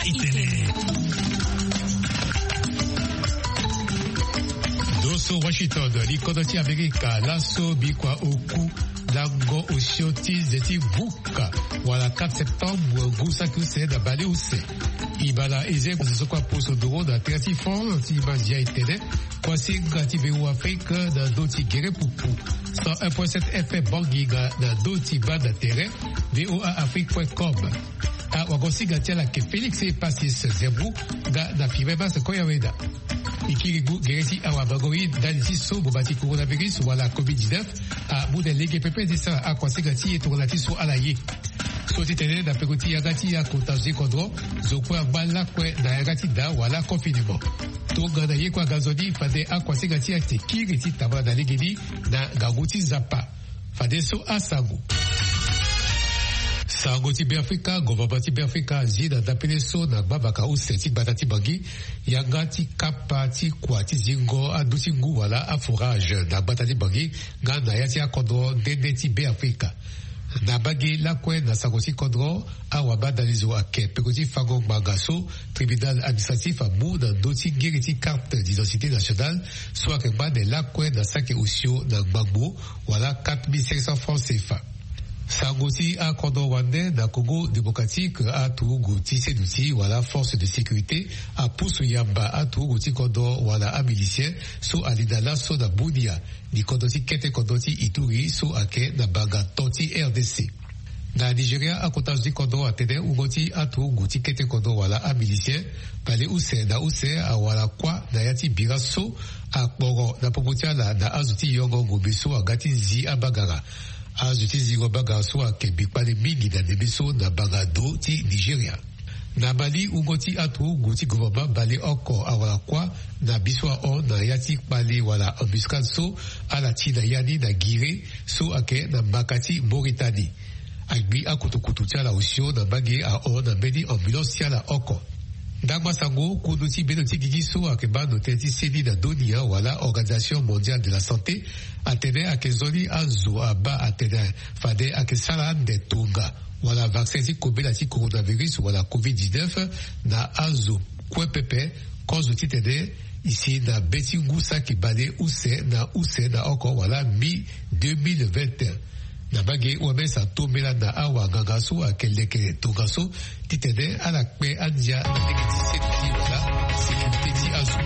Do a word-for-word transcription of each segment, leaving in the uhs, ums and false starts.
Itene. Ndo so Washington, li kodro ti Amerika, laso bikua oku lango osio ti ze ti vuka wala quatre septembre ngu saki use na baleuse. Ibala eze kua so kua poso ndoro na tere ti France ti manzia itene. Kua singa ti V O A Afrique na ndo ti gere pupu cent un point sept F M Bangui nga na ndo ti banda tere V O A Afrique point com. Awagosinga ti ala ke Félix Epassis Zembrou nga na Firemas Koyaweda. E kiri ngu gere ti awamango ye ndali ti so ngboma ti coronavirus wala covid dix-neuf amu na lege pepe ti sara akuasinga ti e tongana ti so ala ye. So ti tene na peko ti yanga ti akota zo ti kodro, zo kue angba lakue na yanga ti da wala confinement. Tongana ye kue aga nzoni fade akuasinga ti e ake kiri ti tambula na legeni na ngangu ti Nzapa. Fadeso asango. Sango ti Beafrika, gouvernement ti Beafrika azi na ndapele so na gbavaka use ti gbata ti Bangui, yanga ti kapa ti kua ti zingo andu ti ngu wala aforage na gbata ti Bangui nga na ya ti akodro nde nde ti Beafrika. Na mbage lakue na sango ti kodro, awabadalizo ake peko ti fango ngbanga so tribunal administratif amu na ndö ti ngiri ti carte d'identité nationale so ayeke ngba ne lakue na saki osio na ngbangbo wala quatre mille cinq cents francs C F A. Sango ti akodro wande na Congo démocratique, aturugu ti seduti wala force de sécurité apusu yamba aturugu ti kodro wala amilicien so ali na laso na Bunia, ni kodro ti kete kodro ti Ituri so ayeke na banga to ti R D C. Na Nigeria, akota zo ti kodro atene wungo ti aturugu ti kete kodro wala amilicien baleuse na use awara kuâ na ya ti bira so akporo na popo ti ala na azo ti yongo ngombe so aga ti zi abagara. Azo ti zingo bagara so ayeke mbi kpale mingi na ndembe so na banga do ti Nigeria. Na Mali, wungo ti aturugu ti gouvernement baleoko awara kuâ na bi so ahon na ya ti kpale wala embuscade so ala ti na ya ni na Guiré so ayeke na mbaka ti Mauritanie. Agbi akutukutu ti ala osio na mbage ahon na mbeni ambulance ti ala oko. Ndangba sango, kundu ti bendo ti gigi so ayeke baa ndo tënë ti seni na dunia wala Organisation Mondiale de la Santé atene ayeke nzoni azo abaa atene fade ayeke sara ande tonga wala vaccin ti kobela ti coronavirus wala covid dix-neuf na azo kue pepe, kozo titene e si na be ti ngu saki baleuse na use na oko wala mi deux mille vingt et un. Na mbage, O M S atombela na awanganga so ayeke leke tongaso titene ala kpe andia na lege ti seni ti wala sécurité ti azo.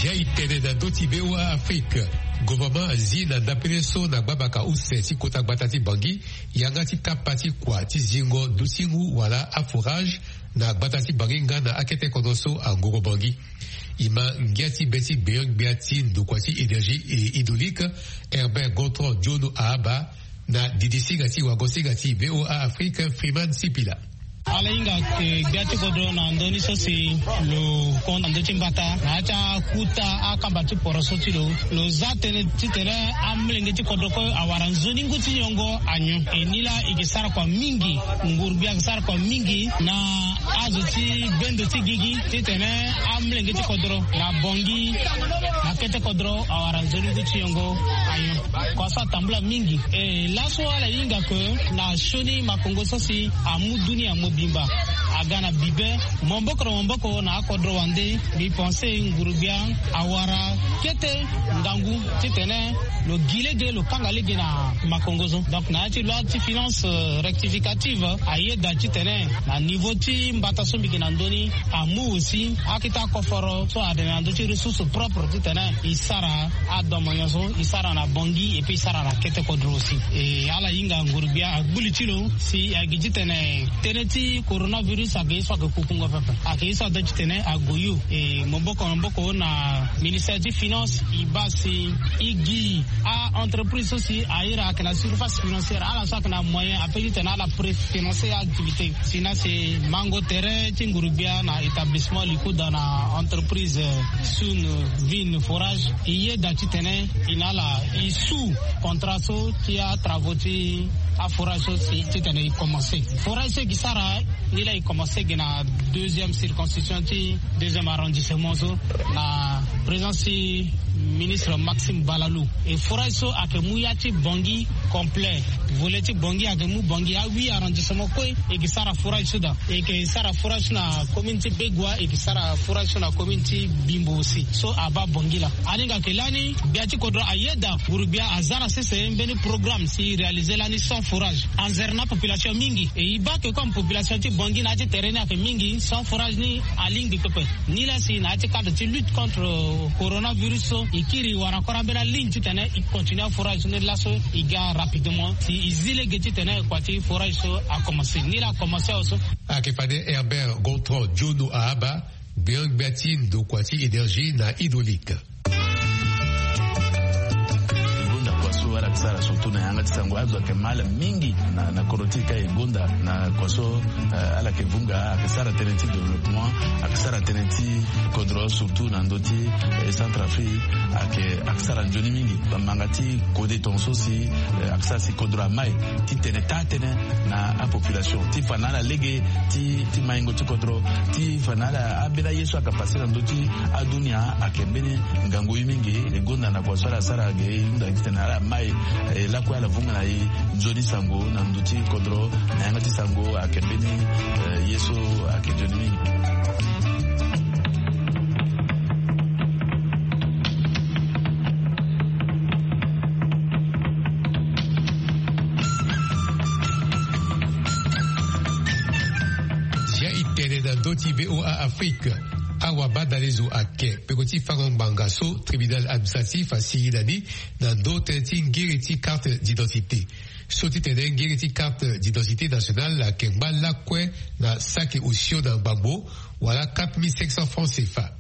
Zia e tene na ndö ti V O A Afrique. Gouvernement azi na ndapele so na gbabaka use ti kota gbata ti Bangui yanga ti kapa ti kua ti zingo ndutingu wala aforage na gbata ti Bangui nga na akete kodro so angoro Bangui. E ma ngia ti be ti gbenyo-gbia ti ndokua ti énergie hydraulique, Herbert Gontran Diono Ahaba, na didisinga ti wagosinga ti V O A Afrique, Freeman Sipila. Ala hinga ke gbia ti kodro na ndö ni so si lo kon na ndö ti mbata na ya ti akuta akamba ti poroso ti lo. Lo za tënë titene amolenge ti kodro kue awara nzoni ngu ti yongo anyon. E ni laa e ke sara kua mingi, nguru-gbia ayeke sara kua mingi na azo ti bendo ti gigi titene amolenge ti kodro na Bangui na kete kodro awara nzoni ngu ti yongo anyon. Kua so atambula mingi. E laso ala hinga ke na sioni makongo so si amu dunia mobimba aga na bibe, maboko na maboko na akodro wande. Mbi pense nguru-gbia awara kete ngangu titene lo gi lege, lo kanga lege na makongo so. Donc na ya ti loi ti finance, euh, rectificative, ayeda titene na niveau ti mbata so mbi yeke na ndö ni, amu aussi akete akoforo so atene na ndö ti ressource propre titene e sara adomonyo so e sara na Bangui et puis e sara na kete kodro aussi. E ala hinga nguru-gbia agbu li ti lo si agi titene tënë ti coronavirus Ye so ayeke ye so ayeke kukungo pepe, ayeke ye so ada titene ague yo e maboko na maboko na ministère ti finance. E baa si e gi a-entreprise so si aye ra ayeke na surface financière, ala so ayeke na moyen ape titene ala préfinancer activité. Sinon si mango tere ti nguru-gbia na établissement Likuda na entreprise Sun Vin Forage, e yeda titene e na ala e su contrat so ti atravaux ti aforage so si titene e commencer. Forage so e gi sara ni laa e commencer gi na deuxième circonscription ti deuxième arrondissement so, na présence ti ministre Maxime Balalou. E forage so ayeke mu ya ti Bangui complet. Volet ti Bangui ayeke mu Bangui ahuit arrondissement kue. E gi sara forage so daa. E yeke sara forage so na commune ti Begoua, e yeke sara forage so na commune ti Bimbo aussi. So abaa Bangui laa. Alinga ayeke lani gbia ti kodro ayeda nguru-gbia aza na sese mbeni programme si e réaliser lani cent forage. Anzere na apopulation mingi. E e baa ke comme population ti Bangui na ya ti tere ni ayeke mingi, cent forage ni alingbi pepe. Ni laa si na ya ti cadre ti lutte contre coronavirus so, e kiri wara encore ambeni aligne titene e continue aforage so ni laso e ga rapidement si e zi lege titene kua ti forage so akomanse. Ni laa akomanse awe so. Ayeke fade Herbert Gontran Diono Ahaba, gbenyo-gbia ti ndokua ti énergie na hydraulique. E gonda kua so ala yeke sara surtout na yanga ti sango, azo ayeke mal mingi na, na kodro ti e ka e gonda na kua so, eh, ala yeke vunga, ayeke sara tënë ti développement, ayeke sara tënë ti kodro surtout na ndö ti, eh, Centrafrique, ayeke, ayeke sara nzoni mingi. Bamanga ti kode tongaso si, eh, ayeke sara si kodro amai ti tene taa tënë na apopulation ti fa na ala lege ti, ti maingo ti kodro, ti fa na ala ambeni aye so ayeke pase na ndö ti adunia ayeke mbeni ngangu ye mingi. E gonda na kua so ala sara ge e hunda titene ala mai, eh, lakue ala vunga na e nzoni sango na ndö ti kodro na yanga ti sango ayeke mbeni, eh, ye so ayeke nzoni mingi. Zia e tene na ndö ti V O A Afrique. Awabadalezo ake peko ti fango ngbanga so tribunal administratif asigi na ni na ndö tënë ti ngiri ti carte d'identité. So ti tene ngiri ti carte d'identité nationale ayeke ngba lakue na saki osio na ngbangbo, wala quatre mille cinq cents francs C F A.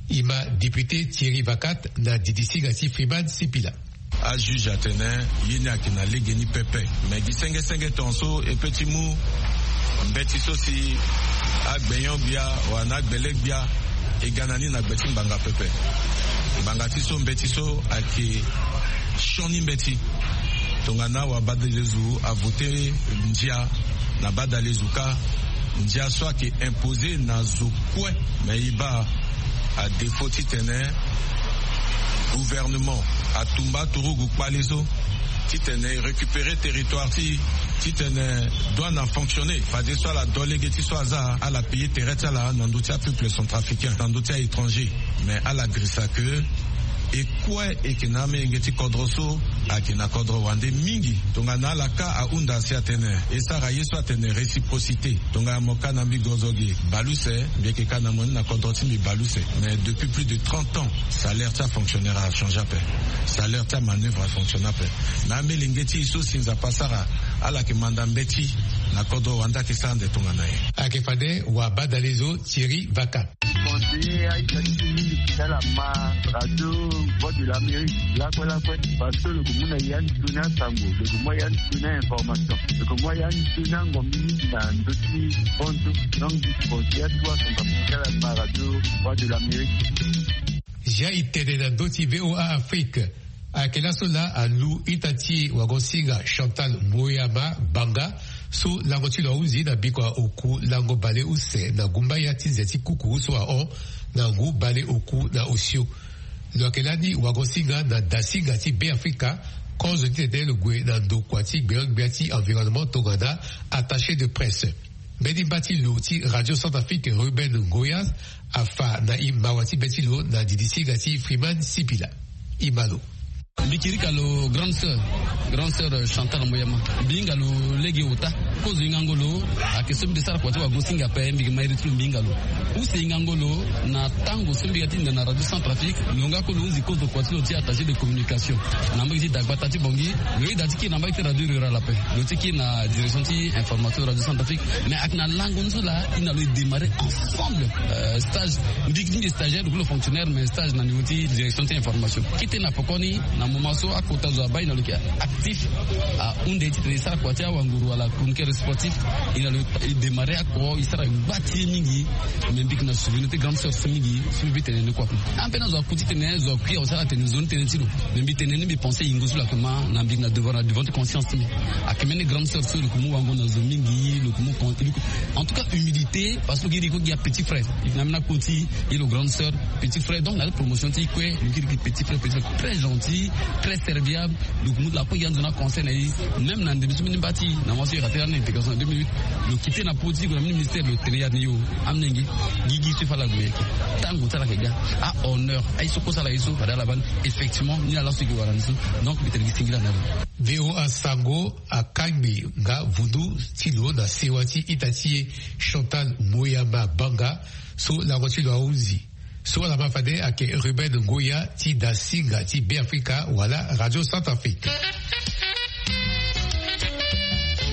E ma député Thierry Vacat na didi singa ti Freeman Sipila. Ajuge atene ye ni ayeke na legeni pepe. Me gi senge senge tongaso e pe ti mu mbeti so si agbenyo-gbia wala na agbele-gbia e ga na ni na gbe ti ngbanga pepe. Ngbanga ti so mbeti so ayeke sioni mbeti. Tongana wabadalezo avote ndia na badalezo kâ, ndia so ayeke imposer na zo kue. Me e baa à défaut titene gouvernement atumba aturugu kpale so titene e récupérer territoire ti, titene douane afonctionner fadeso ala do lege ti so aza, ala payer tere ti ala na ndö ti apeuple centrafricain, na ndö ti a-étranger. Mais ala girisa ke e kue e yeke na amelenge ti kodro so ayeke na kodro wande mingi. Tongana ala kâ ahunda si atene e sara ye so atene réciprocité. Tongana mo kâ na mbi gozo ge baleuse, mbi yeke kâ na mo ni na kodro ti mbi baleuse. Mais depuis plus de trente ans, salaire ti afonctionnaire achangé ape. Salaire ti amanœuvre afonctionne ape. Mais amelenge ti e so si Nzapa asara ala yeke manda mbeti na kodro wande ayeke sara ande tongana nyen? Ayeke fade wabadalezo Thierry Vaca. Conseiller aita ti mingi ti ala ma radio Voix de l'Amérique lakue lakue. Parce que lo yeke mu na ya ni toni asango, lo yeke mu ya ni toni a-information, lo yeke mu ya ni toni angombi mingi na ndö ti konzo. Donc mbi conseiller atu asango amu ti ala ma radio Voix de l'Amérique. Zia e tene na ndö ti V O A Afrique. Ayeke laso laa alu ita ti e wagosinga Chantal Moyama Banga, so lango ti lo ahunzi na bikua oku lango baleuse na gumbaya ti nze ti kuku so ahon na ngu baleoku na osio. Lo yeke lani wagosinga na dasinga ti Beafrika, kozo titene lo gue na ndokua ti gbenyo-gbia ti environnement tongana attaché de presse. Mbeni mba ti lo ti Radio Centrafrique Ruben Ngoya afa na e mawa ti be ti lo na didi singa ti Freeman Sipila. E ma lo. Mbi kirika lo grande sœur, grande sœur Chantal Moyama. Mbi hinga lo lege ota. Kozo hinga ngolo ayeke so mbi sara kua ti wago singa ape, mbi yeke ma iri ti lo mbi hinga lo. Use hinga ngolo na tango so mbi ga ti hinda na Radio Centrafrique, lo nga kue lo hunzi kozo kua ti lo ti attaché de communication na mbage ti dagbata ti Bangui. Lo yeda ti kiri na mbage ti Radio Rurale ape, lo ti kiri na direction ti information Radio Centrafrique. Mais ayeke na lango ni so laa, e na lo e démarrer ensemble stage. Mbi ti mbi stagiaire, lo kue lo fonctionnaire, mais stage na niveau ti direction ti information. Kete na pokoni, na moment so akota zo abaa, e na lo yeke actif. Ahunde ti tene e sara kua ti awanguru wala chroniqueur sportif. E na lo e démarrer ako, e sara gba ti ye mingi. Mais mbi yeke na souvenir ti grande sœur so mingi so mbi tene ni kua. Ambeni azo aku ti tene zo akui awe sara tene nzoni tënë ti lo. Mais mbi tene ni, mbi pensé yingo so lo yeke ma, na mbi yeke na devant, na devant ti conscience ti mbi. Ayeke mbeni grande sœur so lo yeke mu wango na zo mingi, lo yeke mu con- lo yeke- en tout cas humilité, parce que lo yeke iri kue gi apetit frère. E yeke na mbeni akoti, e lo grande sœur, petit frère. Donc na promotion ti e kue, lo yeke iri gi petit frère, petit frère très gentil, très serviable. Donc mu lakue gi anzo na conseil na e. Même na ndembe so mbeni mba ti e na wa so e raté na intégration na deux mille huit, lo quitté na pau ti e, lo gue na mbeni ministère, lo tene ya ni yo. Amolenge, gigi so e fa ala gue yeke, tango ti ala yeke ga. Ahonneur aye so kue so ala ye so fade ala baa ni. Effectivement ni ala so e yeke wara ni so. Donc mbi tene gi singila na lo. V O A Sango akangbi nga vundu ti lo na sewa ti ita ti e Chantal Moyama Banga, so lango ti lo ahunzi. So ala ma fade ayeke Ruben Ngoya ti da singa ti Beafrika wala Radio Centrafrique.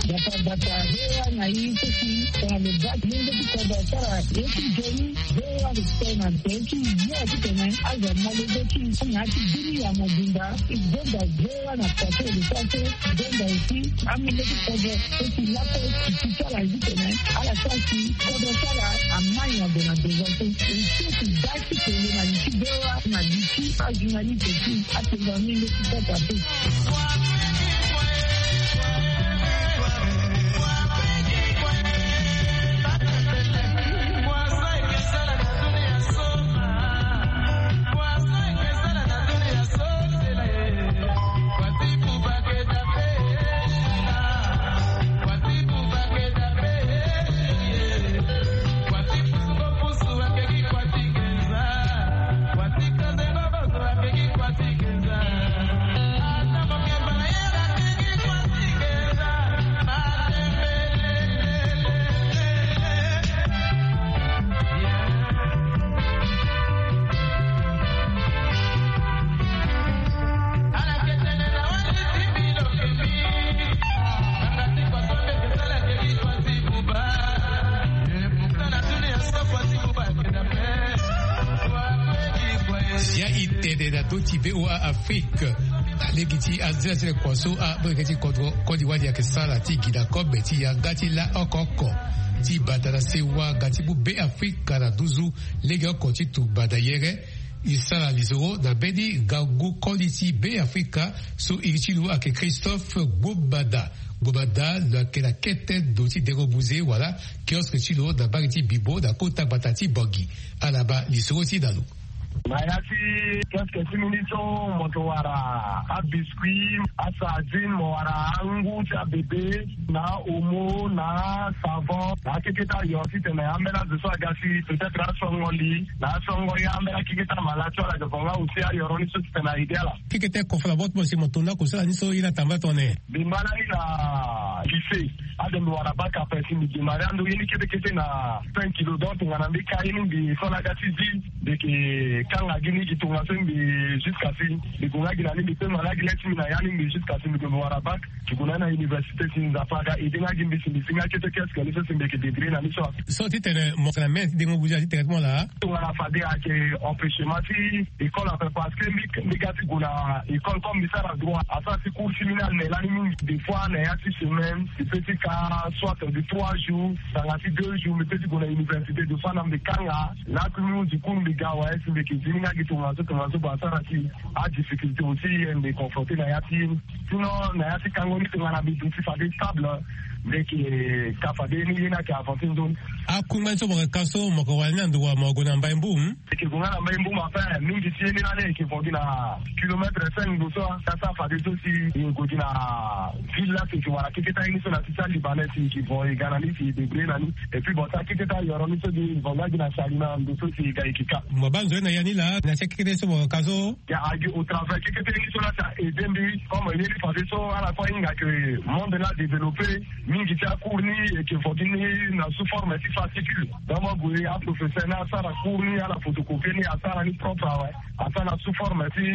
Bata bata, V O A na i so si tongana lo baa ti lenge ti kodro asara ye ti nzoni, V O A lo tene na nze ti yo ti tene azo amolenge ti na ya ti bini ya mobimba. E gonda V O A na plateau de force, e gonda aussi amolenge ti kodro so si lakue ti ti ti ala ye ti tene ala sara si kodro ti ala amai na ndo na devant so. E so ti baa ti tene na li ti V O A na li ti ajournaliste ti atenga mingi ti kota so. Sia e tene na ndö ti V O A Afrique na lege ti anzela ti le kua so amolenge ti kodro koli wali ayeke sara ti gi na kobe ti yanga ti la oko oko ti bata na sewa nga ti mu Beafrika na nduzu legeoko ti tumba na yere. E sara lisoro na mbeni ngangu koli ti Beafrika so iri ti lo ayeke Christophe Gbomada. Gbomada lo yeke na kete ndo ti dengo buze wala kiosque ti lo na mbage ti Bibo na kota gbata ti Bangui. Ala baa lisoro ti e na lo. Na ya ti kiosque ti mbi ni so mo yeke wara abiscuit, asardine, mo wara angu ti abebe, na omo, na savon, na akekete ayo ti tene ambeni azo so aga si peut-être asongo li, na asongo ye ambeni akekete amala so ala yeke vo nga aussi ayoro ni so ti tene aide ala. Kekete kofala bot mo si mo to na kosala ni so ye na tamba tongana nyen? Mbi ma lani na lycée. Ade mbi wara bac ape si mbi démarrer ando ye ni kete kete na cinq kilos. Donc tongana mbi ka ye ni mbi so na aga ti zi, mbi yeke kanga gi ni gi tongaso mbi jusqu'à si mbi gue nga gi na ni mbi pema na gi le ti mbi na ya ni mbi jusqu'à si mbi gue mbi wara bac. Mbi gue na ni na université si Nzapa aga aide nga gi mbi si mbi si nga kete kiosque ni so si mbi yeke débrouiller na ni so. So ti tene mo yeke na mene ti dengo buze ti tene ti mo laa? Tongana fade ayeke empêchement ti école ape parce que mbi, mbi ga ti gue na école comme mbi sara droit asara ti cours ti mbi ni ane lani mingi. Des fois na ya ti semaine mbi peut ti ka soit de trois jours tanga ti deux jours mbi peut ti gue na université. Des fois na mbi kanga laa ti mbi hunzi cours mbi ga awe si mbi yeke zi ni nga gi tongaso tongaso ba asara si adifficulté aussi mbi confronté na ya ti ye ni. Sinon na ya ti kango ni tongana mbi duti fade stable mbi yeke ka fade ye ni ye ni ayeke avancer nzoni. Akungba ni so mo yeke ka so mo yeke wara ni na ndo wa mo gue na Mbai Mboum? Eke gue nga na Mbai Mboum ape mingi ti ye ni lani eke vo gi na kilomètre cinq ndo so. Ka sara fade so si e gue gi na ville la si eke wara keketa ye ni so na ti ti alibanais si eke vo e ga na ni si e débrouiller na ni. Et puis bon ti akeketa yoro ni so gi e vo nga gi na sali na ndo so si e ga eke ka. Mo baa nzoni na ya ni laa na ti akeketa ye so mo ka so? Ya agi au travers keketa ye ni so la si a aidé mbi comme ye ni fade so ala kue ahinga ke monde la développé. Mingi ti acours ni eke vo gi ni na sous forme ti fascicule. Donc mo gue, aprofesseur ni asara cours ni, ala photocopie ni, asara ni propre awe. Asara na sous forme ti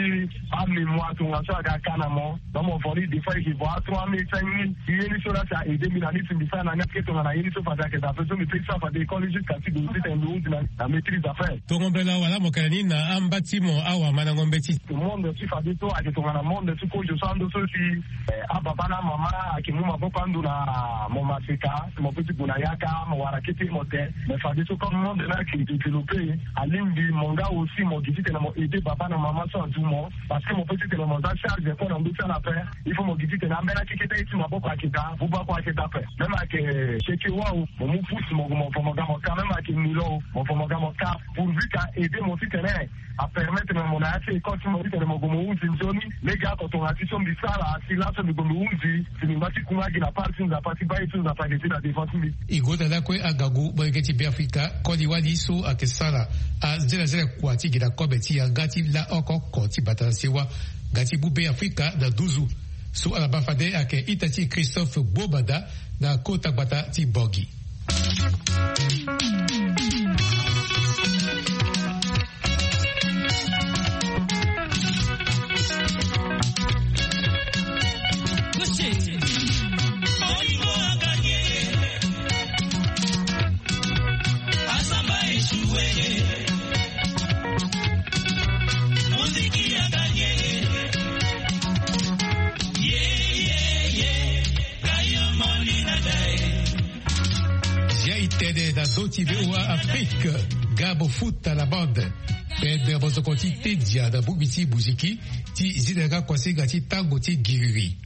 amémoire, tongaso aga ka na mo. Donc mo vo ni des fois eke vo a trois mille, cinq mille. Ye ni so la si a aidé mbi na ni si mbi sara na ni ake tongana ye ni so fade ayeke daa ape so mbi pe ti sara fade école jusqu'à si gue titene mbi hunzi na, na maîtrise affaire. Tongo mbela wala mo kere ni na amba ti mo awamandango mbeti. Monde ti fade so ayeke tongana monde ti kozo so ando so si, eh, ababa na amama ayeke mu maboko ando na mo maseka, mo pe ti gue na yaka, mo wara kete mo te. Mais fade so comme monde ni ayeke développé, alingbi mo nga aussi mo gi titene mo aidé baba na mama so adu mo. Parce que mo pe titene mo za charge kue na ndö ti ala ape. Il faut mo gi titene ambeni akeke ti aye ti maboko ayeke daa, buba kue ayeke daa ape. Même ayeke seke wa o, mo mu pousse mo, mo vo mo ga mo ka. Même ayeke nilo o, mo vo mo ga mo ka. Pourvu que a aidé mo titene a permettre mo na ya ti école ti mo titene mo gue mo hunzi nzoni. Lege oko tongana ti so mbi sara si laso mbi gue mbi hunzi, si mbi ngba ti kunga gi na part ti Nzapa ti baa ye so Nzapa ayeke ti na devant ti mbi. E gue daa lakue agangu molenge ti Beafrika, koli wali so ayeke sara azelazela kua ti gi na kobe ti yanga ti la oko oko ti bata na sewa nga ti mu Beafrika na nduzu. So ala baa fade ayeke ita ti Christophe Gbobada na kota gbata ti Bangui. Zia e tene na ndö ti V O A Afrique, ga mo futa na bande. Pene mozoko ti te dia na bongbi ti muziki ti zi na yanga kuasinga ti tango ti giriri.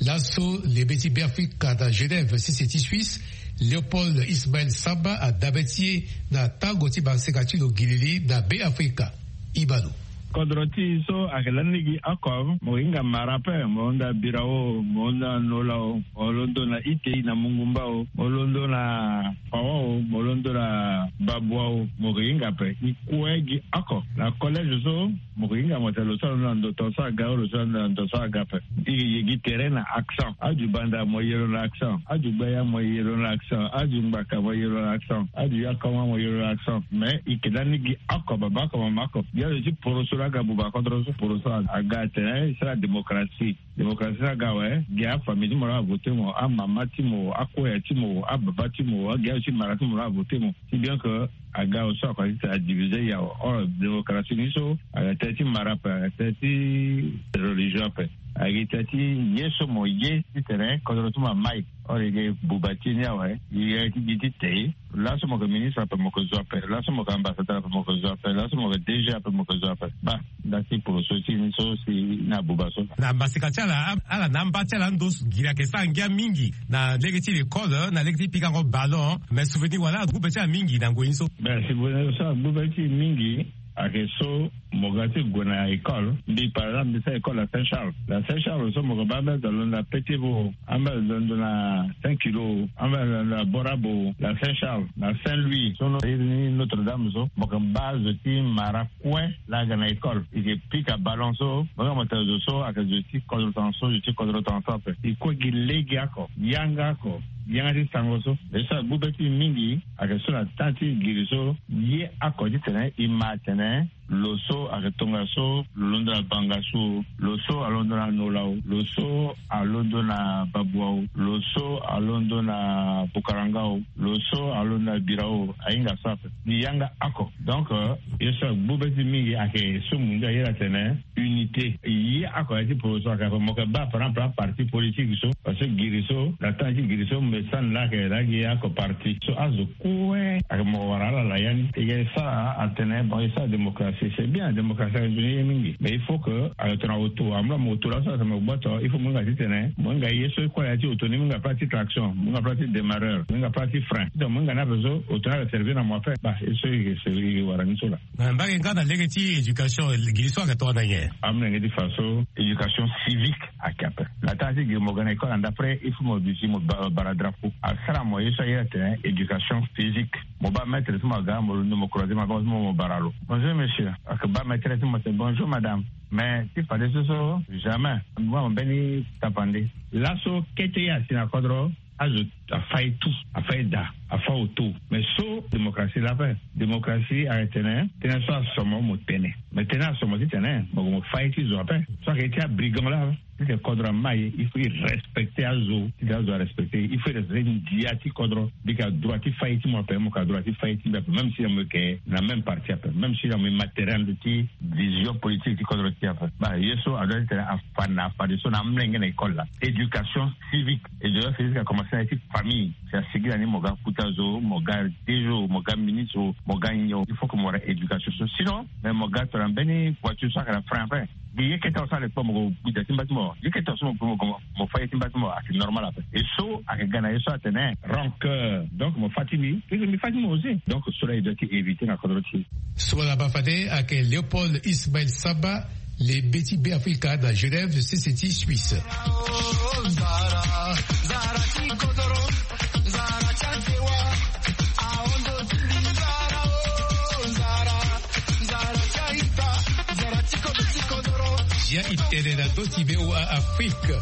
Laso lebe ti Beafrika na Genève, sese ti Suisse, Léopold Ismaël Samba adabe ti e na tango ti maseka ti lo giriri na Beafrika. Ibalo. Kodro ti e so ayeke lani lege oko, mo hinga mara ape, mo londo na Birao, mo londo na Nola o, mo londo na Itei na Mungumba o, mo londo na Fawa o, mo londo na Babua o, mo ke hinga ape. E kue gi oko. Na collège so, mo ke hinga mo tene lo so alondo na ndo tongaso aga o, lo so alondo na ndo so aga ape. E ye gi tere na accent. Adu banda mo ye lo na accent. Adu gbaya mo ye lo na accent. Adu ngbaka mo ye lo na accent. Adu yakoma mo ye lo na accent. Mais e ke lani gi oko, baba oko, mama oko. Gi azo ti poroso laa aga buba kodro so poroso aga atene e sara démocratie. Démocratie so aga awe, gi afamille ti mo laa avoté mo, amama ti mo, akoya ti mo, ababa ti mo, agi azo ti mara ti mo laa avoté mo. Si bien que aga awe so ako ti tene adivisé ya awe. Or démocratie ni so ayeke tënë ti mara ape, ayeke tënë ti religion ape, ayeke tënë ti ye so mo ye titene kodro ti mo amai. Or e yeke buba ti e ni awe, e yeke ti gi ti te. Laso mo yeke ministre ape mo yeke zo ape, laso mo yeke ambassadeur ape mo yeke zo ape, laso mo yeke D G ape mo yeke zo ape. Baa nda ti poroso ti e ni so si na buba so. Na maseka ti ala, ala na amba ti ala ando giri ayeke sara ngia mingi na lege ti l'école, na lege ti pikango ballon. Mais souvenir wala agbu be ti ala mingi na ngoi ni so. Mais souvenir so agbu be ti e mingi ayeke so mo ga ti gue na école. Mbi par exemple mbi sara école na Saint Charles. Na Saint Charles so mo yeke baa ambeni azo alondo na Petit Vau, ambeni azo alondo na Saint Kilo, ambeni azo alondo na Borabo, na Saint Charles, na Saint Louis so, iri ni Notre Dame so, mo yeke baa zo ti mara kue laa aga na école. E yeke pika ballon so, mo yeke mo tene zo so ayeke zo ti kodro tongaso, zo ti kodro tongaso ape. E kue gi lege oko, yanga oko, yanga ti sango so. Ye so agbu be ti e mingi ayeke so na temps ti giri so, ye oko titene e ma atene lo so ayeke tongaso, lo londo na Bangassou o, lo so alondo na Nola o, lo so alondo na Babua o, lo so alondo na Bukaranga o, lo so alondo na Birao o, ahinga so ape. Ni yanga oko. Donc, euh, ye so agbu be ti e mingi ayeke so mo ndia ayeda atene unité. Ye oko ya ti poroso ayeke ape. Mo yeke baa par exemple aparti politique so, parce que giri so, na temps ti giri so mbi sani laa ayeke laa gi oko parti so azo kue ayeke mo wara ala na ya ni. E yeke sara atene bon e sara démocratie, c'est bien, démocratie ayeke nzoni ye mingi, mais il faut que ayeke tongana auto, amu laa mo auto laso atene mo gboto, il faut mo hinga titene mo hinga ye so e kue na ya ti auto ni, mo hinga place ti klaxon, mo hinga place ti démarreur, mo hinga place ti frein, titene mo hinga ni ape so auto ni ayeke servir na mo ape. Baa ye so e yeke wara ni so laa. Na mbage nga na lege ti éducation, giri so ayeke tongana nyen? Amolenge ti fa so éducation civique ayeke ape. Na temps ti giri mo ga na école na ndapre, il faut mo duti mo ba-, bara drapeau. Asara mo ye so aye atene éducation physique. Mo baa maître ti mo aga, mo londo mo croiser maboko ti mo, mo bara lo. Bonjour monsieur. Ayeke baa maîtresse ti mo atene bonjour madame. Mais ti fadeso so jamais mo baa mo mbeni tapande. Laso kete ye asi na kodro. azo afa ye tout, afa ye daa, afa oto. Mais so démocratie laa ape, démocratie ayeke tene tënë so asomo mo tene. Mais tënë asomo titene mo gue mo fa ye ti zo ape. So ayeke ye ti abrigand laa, titene kodro ama ye, il faut e respecter azo. Titene azo arespecter, il faut e respecter ndia ti kodro. Mbi yeke na droit ti fa ye ti mo ape, mo yeke na droit ti fa ye ti mbi ape, même si na mo yeke na même parti ape, même si na mo ye matériel ti vision politique ti kodro ti e ape. Baa ye so adoit titene afa na, afadeso na amolenge na école laa, éducation civique. Éducation civique akomanse na ye ti famille. Si asigi na ni mo ga kuta zo, mo ga dejo, mo ga ministre, mo ga nyon, il faut que mo wara éducation so. Sinon, mais mo ga tongana mbeni voiture so ayeke na frein ape. Gi ye kete awa so ale kpo mo gue mo gue da ti mba ti mo. Gi ye kete awa so mo gue mo gue mo fa ye ti mba ti mo, ayeke normal ape. Et so ayeke ga na ye so atene rancœur. Donc mo fa ti mbi, mbi fa ti mo aussi. Donc cela il doit éviter na kodro ti. So ala baa fade ayeke Léopold Ismaël Samba, le be ti Beafrika na Genève, sese ti Suisse. Zia e tene na ndö ti V O A Afrique.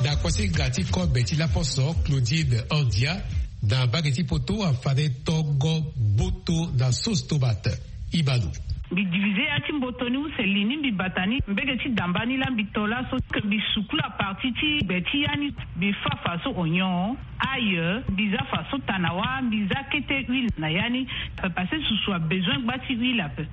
Na kuasinga ti kobe ti laposo Claudine Andia, na mbage ti poto afade tongo mboto na sauce tomate. Ibalo. Mbi divisé ya ti mboto ni use li ni mbi bata ni mbege ti damba ni laa mbi to laso ke mbi sukula parti ti gbe ti ya ni. Mbi fa faso onyon, ail, mbi za faso tanawa, mbi za kete huile na ya ni. Parce que susu abezoin gba ti huile ape.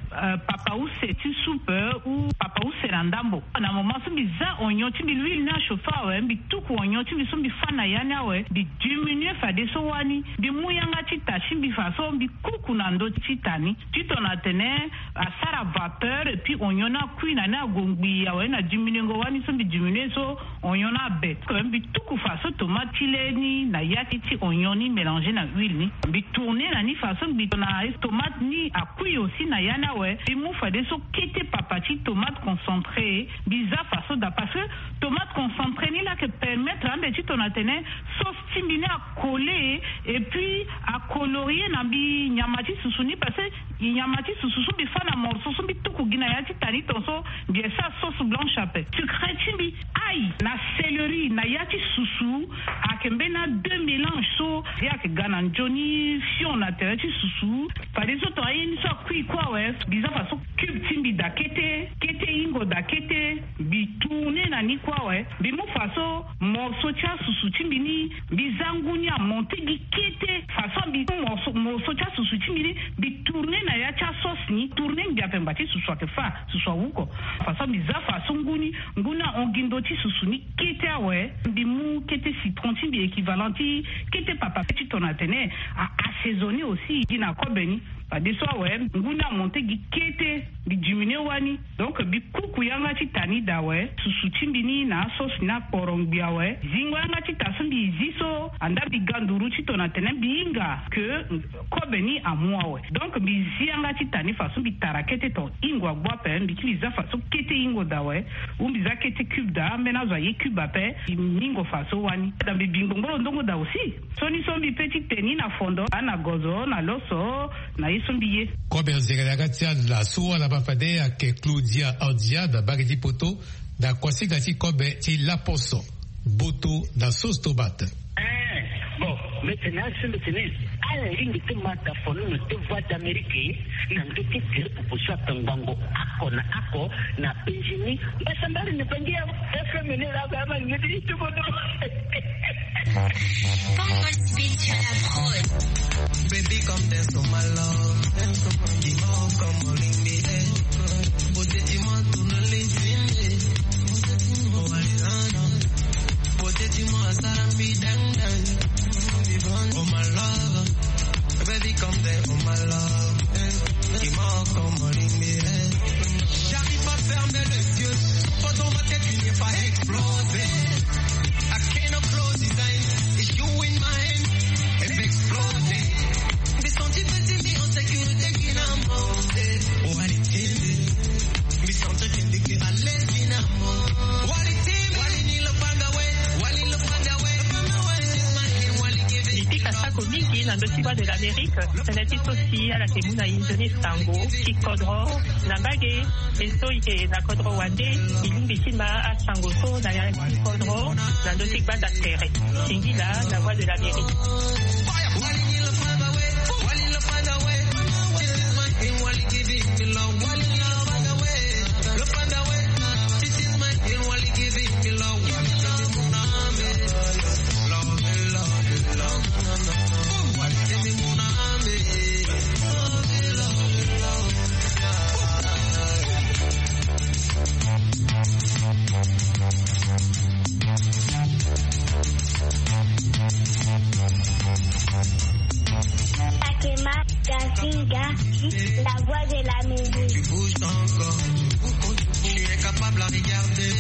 Papa use ti soupe ou papa use na ndambo. Na moment so mbi za onyon ti mbi, l'huile ni achauffe awe, mbi tuku onyon ti mbi so mbi fa na ya ni awe, mbi diminué fadeso wani. Mbi mu yanga ti ta ti mbi faso mbi kuku na ndö ti ta ni. Titona atene asara vapeur et puis onyon ni akui na ni ague ngbii awe, na diminuengo wani so mbi diminué so onyon ni abe. Mbi tuku faso tomate ti le ni na ya ti onyon ni mélangé na huile ni. Mbi tourné na ni faso mbi tona tomate ni akui aussi na ya ni awe. Mbi mu fadeso kete papa ti tomate concentré, mbi za faso daa parce que tomate concentré ni laa ayeke permettre ande titona atene sauce ti mbi ni acollé et puis acolorié na mbi nyama ti susu ni parce que nyama ti susu so mbi fa na morceau so mbi tuku gi na ya ti ta ni tongaso mbi yeke sara sauce blanche ape. Secret ti mbi, ail na céleri na ya ti susu ayeke mbeni a deux mélange so ye ayeke ga na nzoni fion na tere ti susu. Fadeso tongana ye ni so akui kue awe, mbi za faso cube ti mbi daa kete, kete hingo daa kete. Mbi tourné na ni kue awe, mbi mu faso morceau ti asusu ti mbi ni, mbi za ngu ni amonté gi kete. Faso mbi mu morceau, morceau ti asusu ti mbi ni, mbi tourné na ya ti asauce ni, tourné ngbi ape ngba ti susu ayeke fa, susu awuko. Faso mbi za faso ngu ni, ngu ni ahon gi ndö ti susu ni kete awe. Mbi mu kete citron ti mbi équivalent ti kete papa titona atene a assaisonné aussi gi na kobe ni. Fadeso awe ngu ni amonté gi kete. Mbi diminué wani. Donc mbi kuku yanga ti ta ni daa awe, susu ti mbi ni na asauce ni akporo ngbi awe. Zingo yanga ti ta so mbi zi so anda mbi ga nduru titona atene mbi hinga ke kobe ni amu awe. Donc mbi zi yanga ti ta ni faso mbi tara kete ton hingo agbu ape, mbi kiri za faso kete hingo daa awe. Ou mbi za kete cube daa, ambeni azo aye cube ape. Mbi hingo faso wani daa mbi bi ngbongboro ndongo daa aussi. Sioni so mbi pe ti te ni na fondo, ana gozo na loso, na ye so mbi ye. Kobe anzere na ya ti ala so ala baa fade ayeke Claudia Andia na mbage ti poto, na kuasinga ti kobe ti laposo, mboto na sauce tomate. Eh, bon, mbi tene asi mbi tene ala lingbi ti ma daa fono na deux voix d'Amérique na ndö ti tere popo so atongbango oko na oko na penzi ni. Mbasambari ni bangi ya F M ni la ba ma ngeti ti bodo. Baby, come dance on my love. Dance on my love. Come on, lean me, eh. Beauté, dis-moi, tourne les yeux. Beauté, dis-moi, ça rapide, dang, dang. Oh, my love. Baby, come there, oh my love. Dis-moi comment il est. J'arrive pas à fermer les yeux. Toi dans ma tête, tu n'es pas explosé. I cannot close his eyes. It's you in my hand. Et m'exploser. Mes sentiments, t'es mis en sécurité, finalement. Oh, allez, t'es. Mes sentiments, t'es à l'aise, finalement. Oh, allez, t'es. Wali ni le panga, ouais. Wali le panga, ouais. Le panga, ouais. Na ndö ti Voix de l'Amérique, tënë ti so si ala yeke mu na e nzoni sango ti kodro na mbage. E so e yeke na kodro wande, e lingbi ti ma asango so na ya ti kodro na ndö ti gbanda tere. Singila na Voix de l'Amérique. Akema Gazinga, la voix de la musique. Tu bouges ton corps, tu bouges ton corps. Je suis incapable à regarder.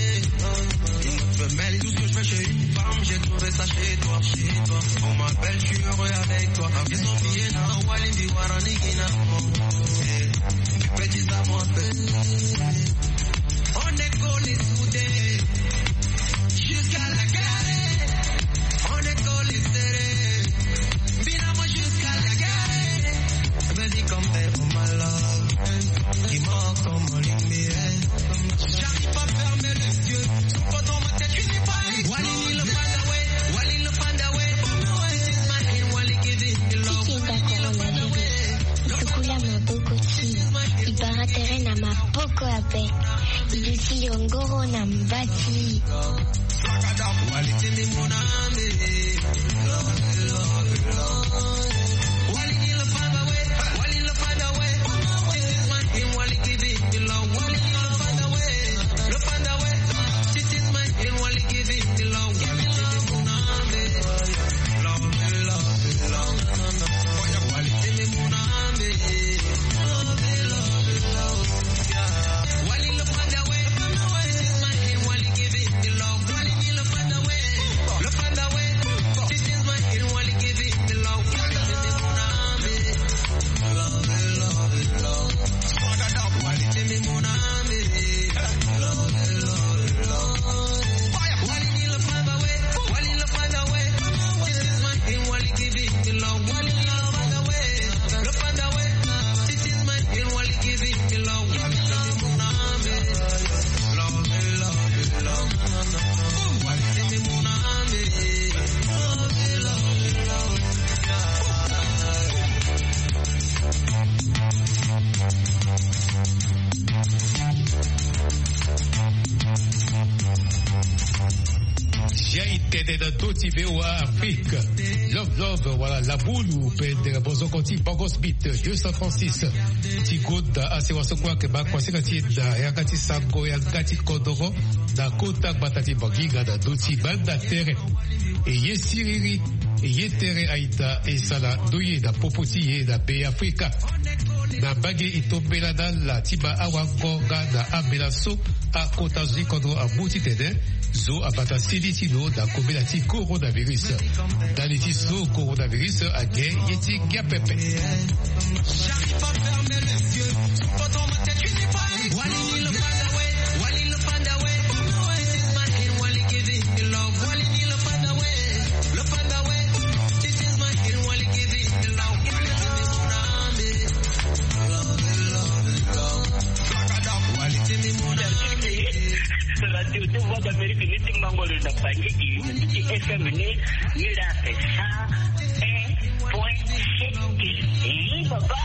Une autre femelle, tout ce que je fais chez une femme, j'ai trouvé ça chez toi, chez toi. On m'appelle, je suis heureux avec toi. Ils ont oublié, non, Wali, Biwara, Nigina. Eh, tu peux dire ça, mon père. On est collés, soudés, jusqu'à la gare. On est collés, serrés, finalement jusqu'à la gare. Baby, come back for my love. Dis-moi comment l'aimer. J'arrive pas à fermer les yeux. Sous photo, ma tête, tu n'es pas. Wali, le panda, ouais. Wali, le panda, ouais. This is my name, Wali, give it the love. Ti kenda coronavirus, e tukula maboko ti e. E bara tere na maboko ape. E duti yongoro na mba ti e. Zia e tene na ndö ti V O A Afrique. Love love wala labulu pendere bozoko ti Bongos Beat deux cent trente-six. Ti gonda asewa so kue ayeke baa kuasinga ti e na yanga ti sango yanga ti kodoro na kota gbata ti Bangi nga na ndö ti gbanda tere. E ye siriri, e ye tere aita e sara ndoye na popo ti e na Beafrika. Na mbage e tombela na ala ti baa awango nga na ambela so akota zo ti kodro amu titene zo abata seni ti lo na kobela ti coronavirus. Ndali ti so coronavirus ake ye ti ngia pepe. Radio ti Voix d'Amérique ni ti Mbangolo na Bangui, ni ti F M ni, ni la ake cent un point sept. Ii, papa.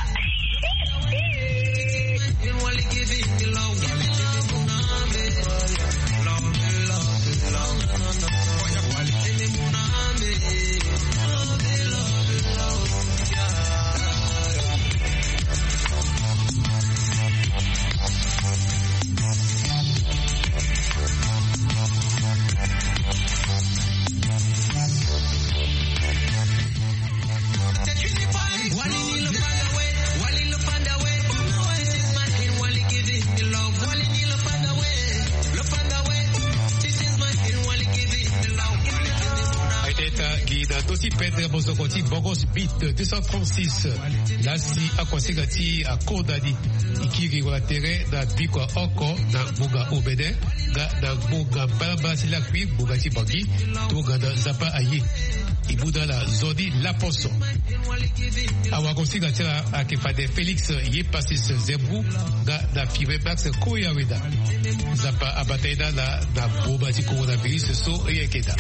Aye tene taa gi na ndö ti pendre mosoko ti Bongos Beat deux cent trente-six. Laa si akuasinga ti e akonda ni, e kiri wala tere na biko ya oko na ngbonga omene nga na ngbonga mbalambala ti lakui ngbonga ti Bangi tongana Nzapa aye. E mu daa na zoni laposo. Awagosinga ti ala ayeke fade Félix Yepasis Zembrou, nga na Firebax Koyaweda. Nzapa abata ye daa na na boma ti coronavirus so e yeke daa.